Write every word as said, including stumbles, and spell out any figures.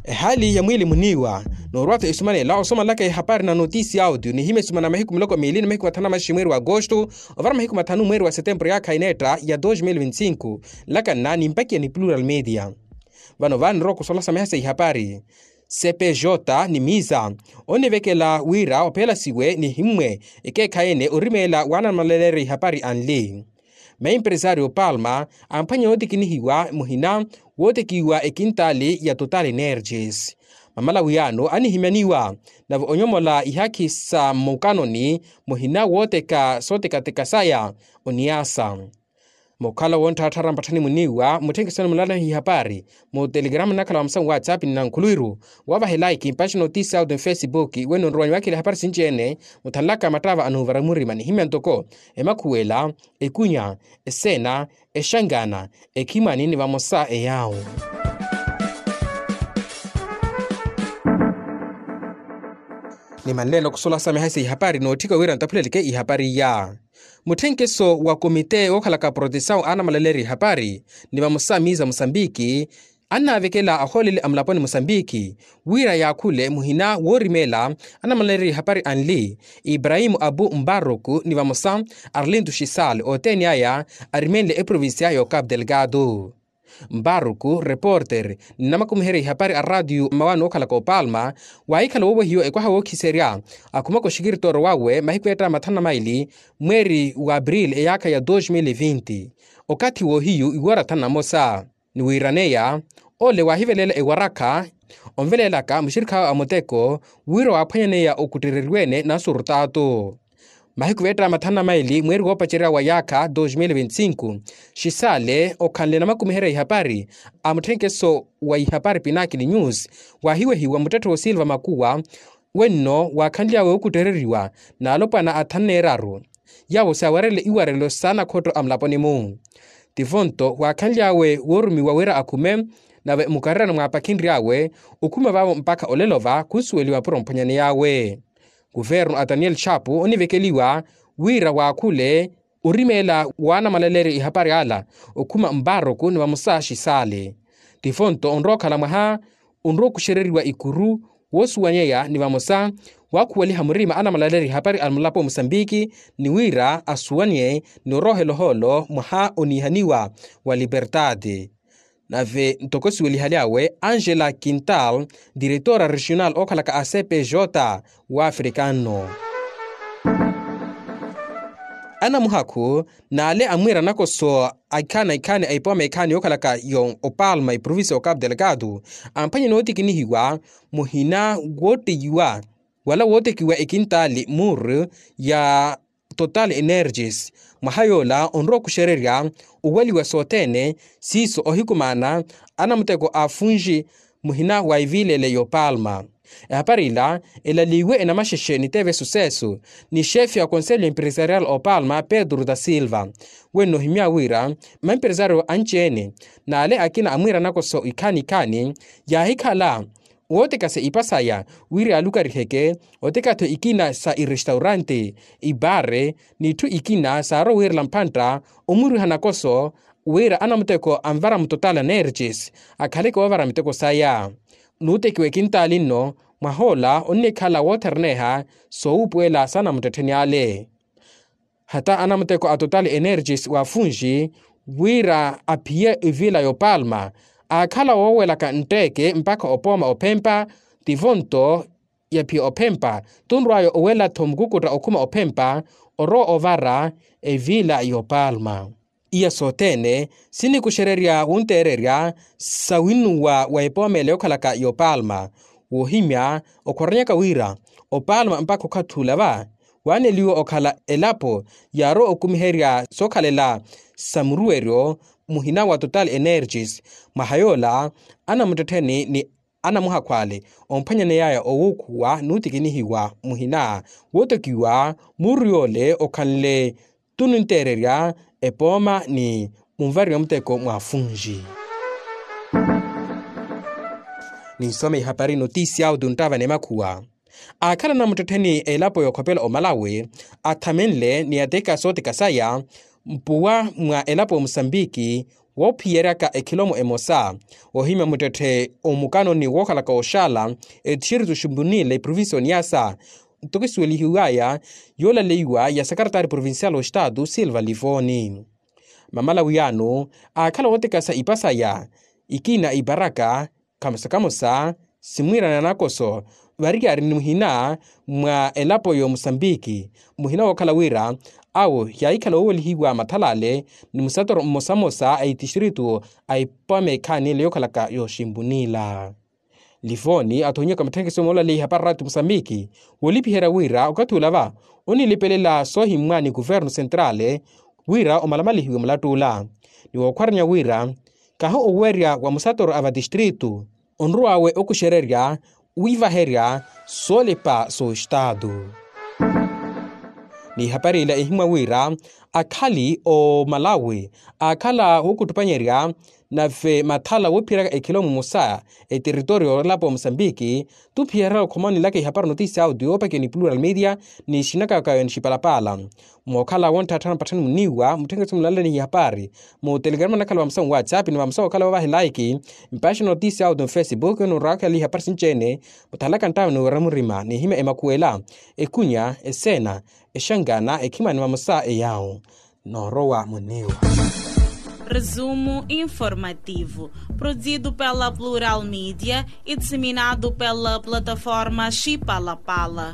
Ehaali ya mwiili muniiwa. Noorwa-tho esumanela osomalaka ehapari na notisi ya audio nihimya esumana mahiku miloko miili ni mahiku mathanu na maxi mweeri wa agosto, ovara mahiku mathanu mweeri wa setempuru yaakha ineetta ya dos mil vinti cinco. Nlakanna ni mpakiya ni plural media. Vano vaanirowa kusolasa miha sa ihapari. Cpj ni misa onivekela wira ophelasiwe nihimmwe ekeekhayi-ene orimeela waanamalaleerya ihapari anli. Maempresario palma amphwanya yootikinihiwa muhina wootekiwa ekintaali ya total energies. Mamalawiyaano anihimyaniwa nave onyomola ihaakhi sa mmukanoni muhina wooteka sootekateka saya oniasa. Mukhala wonttharatthara mpatthani muniiwa mutthenkisoni mulalahi ihapari mu telegrama nnakhala wa musamu whatsapp ni nankhuluwiru wavahelaikimpaxi notisi auto ni facebook wenno nrowanyi wakhela ihapari sinci-ene. Muthanlaka mattava anuuvara murima nihimya ntoko emakhuwela, ekunya, eseena, exangana, ekhimani ni vamosa eyaawo. Nimanleene okusolasa miha sa ihapari nootthika wira nttaphuleleke ihapari iya. Mutthenkeso wa komite wookhalaka protesawu anamaleerya ihapari ni vamosa miiza musambiki annaavekela ahooleli a mulaponi musambiki wira yaakhule muhina woorimeela anamaleerya ihapari anli ibrahimu abu mbaruku ni vamosa arlintu xisal othene aya arimenle eprovincia ya okapu delgado. Mbaruku reporter ni namakumiherya ihapari a ratiyo mmawaani wookhalaka opalma waahikhala woowehiwa ekwaha wookhiserya akhumaka oxikiritooro wawe mahiku eetta mathanu na maili mweeri wa april eyaakha ya dos mil vinti. Okathi woohiyu iwora thanu na mosa ni wiiraneya ole waahivelela ewarakha onvelelaka muxirikhawe a muteko wira waaphwanyaneya okuttereriwe-ene nasurtato. Mahiku veetta mathanu na maili mweeri woopacerya wa yaakha dos mil vinti cinco xisale okhanle namakumiherya ihapari a mutthenkeso wa ihapari pinakili news waahiwehiwa muttetthe wa silva makuwa wenno waakhanly'awe okuttereriwa n'alopwana athanu n'eraru yaawo saawarele iwarelo saanakhotto a mulaponi-mu. Tivo-nto waakhanly'awe woorumiwa wira akhume nave mukarerano mwaapakhenry'awe okhuma vaavo mpakha olelo va khunsuweliwa puro mphwanyaney'awe. Kuvernu a daniel chapu onivekeliwa wira waakhule orimeela waanamalaleerya ihapari ala okhuma mbaruku ni vamosa xisale. Tivo-nto onrowa okhala mwaha onrowa okuxereriwa ikuru woosuwanyeya ni vamosa waakhuweliha murima anamalaleri ihapari a mulapo musambiki ni wira asuwanye ni orohela ohoolo mwaha oniihaniwa wa libertade. Nave ntoko siwelihaly'awe angela quintal diretora regional ookhalaka a cpj wafrikano. Anamuhakhu n'ale amwiira nakoso a ikhaani a ikhaani a ipooma ikhaani yookhalaka yo opalma eprovincia ya okapu delgado amphwanye nootikinihiwa muhina woottiyiwa wala wootekiwa ekintaali muru ya total energies mwaha yoola onrowa okuxererya owaliwa sothene siiso ohikumaana anamuteko a funji muhina wa iviilele y'opalma. Ehapari ila elaliwe enamaxexe ni teve sucesso ni xefe ya conselho empresarial opalma pedro da silva wenno ohimya wira maempresario anci-ene n'ale akina amwiira nakoso ikhaani ikhaani yaahikhala wootekasa ipa saya wira yaalukariheke otekatho ikina sa irestaurante ibare n'itthu ikina saarowa wiirela mphantta omuriha nakoso wira anamuteko anvara mutotala nerges akhaleke woovara miteko saya. Nuutekiwa ekintaali nno mwahoola onnikhala wootheraneha soowuupuwela saanamuttettheni ale. Hata anamuteko a total energies wa funji wira aphiye ivila y'opalma aakhala woowelaka ntteke mpakha opooma ophempa tivo-nto yaphiya ophempa tunrw'aya owela-tho mukukutta okhuma ophempa orowa ovara evila y'opalma. Iya sothene sinikuxererya wunteererya sawinnuwa wa epoomela yookhalaka y'opalma woohimya okhoronyaka wira opalma mpakha okhathi ula va waaneliwa okhala elapo yaarowa okumiherya sookhalela sa muruweryo muhina wa total energies mwaha yoola anamuttettheni ni anamuhakhu ale omphwanyaneyaya owuukhuwa nuutikinihiwa muhina wootokiwa muuru yoole okhanle tununteererya epooma ni munvariwa muteko mwa funji. Ninsome ihapari notisi auto nttava ni makhuwa aakhala anamuttettheni elapo yookhopela omalawi athamenle ni ateka sooteka saya mpuwa mwa elapo ya musambiki woophiyeryaka ekhilomo emosa, ohimya muttetthe omukanoni wookhalaka oxaala, etixeritu ximpunila eprovinciya oniyasa, ntoko esuwelihiwaya yoolaleiwa ya sakaratari provincial oxitaatu silva livoni. Mamala wiyano aakhala wootekasa ipasaya, ikina iparaka, kamosa kamosa simwiirana nakoso, variyari ni muhina mwa elapo y'omusambiki, muhina wookhala wira awo yaahikhala oowelihiwa mathalale ni musatoro mmosamosa a itixeritu a ipameekhaani ele yookhalaka yooximpunila. Livoni athonyaka matthekeso moolaleya ihapari raati musambiki, woolipiherya wira okathi ula va onilipelela soohimmwa ni kuvernu sentrale, wira omalamalihiwe mulatt'ula ni wookhwaranya wira kahi owerya wa musatoro a vatistritu, onrow'awe okuxererya wiivaherya soolipa sooxitaatu. N'ihapari ila ehimwa wira akhali omalawi aakhala wookuttupanyerya nave mathala woophiyeraka ekhilomo emosa, eteritorio yoolapo musambiki, tuphiyerya okhoma onilaka ihapari notisia audio yoopakiwa ni plural media ni xinakakayo ni xipalapaala. Mookhala wontthattha na patthani muniiwa mutthekeso mulalani ihapari mu telegrama nakhala vamosa mu whatsapp ni vamosa wookhala woovaha elaiki mpaxi notisia audio mu facebook ni oraakhala ihapari sinci-ene. Muthalaka nttawe ni wira murima n'ihimya emakhuwela, ekunya, eseena, exangana ekhimani vamosa eyawo. Noorowa muniiwa. Resumo informativo, produzido pela plural media e disseminado pela plataforma xipalapala.